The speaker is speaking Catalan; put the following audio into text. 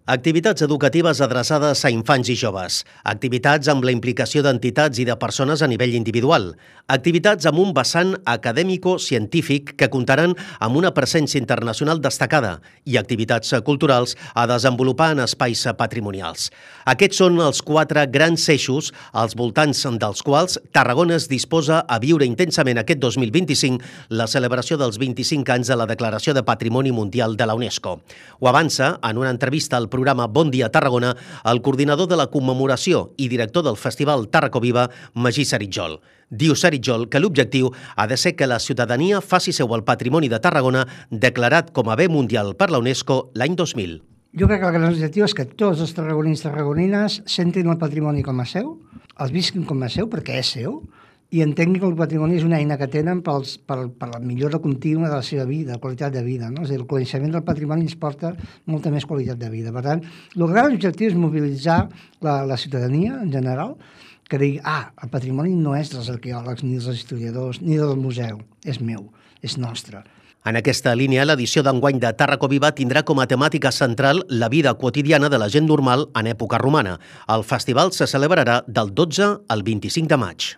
Activitats educatives adreçades a infants i joves. Activitats amb la implicació d'entitats i de persones a nivell individual. Activitats amb un vessant acadèmico-científic que comptaran amb una presència internacional destacada i activitats culturals a desenvolupar en espais patrimonials. Aquests són els 4 grans eixos als voltants dels quals Tarragona es disposa a viure intensament aquest 2025 la celebració dels 25 anys de la Declaració de Patrimoni Mundial de la UNESCO. Ho avança en una entrevista al programa Bon Dia Tarragona el coordinador de la commemoració i director del Festival Tarracoviva, Magí Saritjol. Diu Saritjol que l'objectiu ha de ser que la ciutadania faci seu el patrimoni de Tarragona declarat com a bé mundial per la UNESCO l'any 2000. Jo crec que el gran objectiu és que tots els tarragonins i tarragonines sentin el patrimoni com a seu, els visquin com a seu perquè és seu, i entenguin que el patrimoni és una eina que tenen per la millora contínua de la seva vida, qualitat de vida. No? És a dir, el coneixement del patrimoni ens porta molta més qualitat de vida. Per tant, el gran objectiu és mobilitzar la ciutadania en general, que digui, el patrimoni no és dels arqueòlegs, ni dels historiadors, ni del museu, és meu, és nostre. En aquesta línia, l'edició d'enguany de Tarracoviva tindrà com a temàtica central la vida quotidiana de la gent normal en època romana. El festival se celebrarà del 12 al 25 de maig.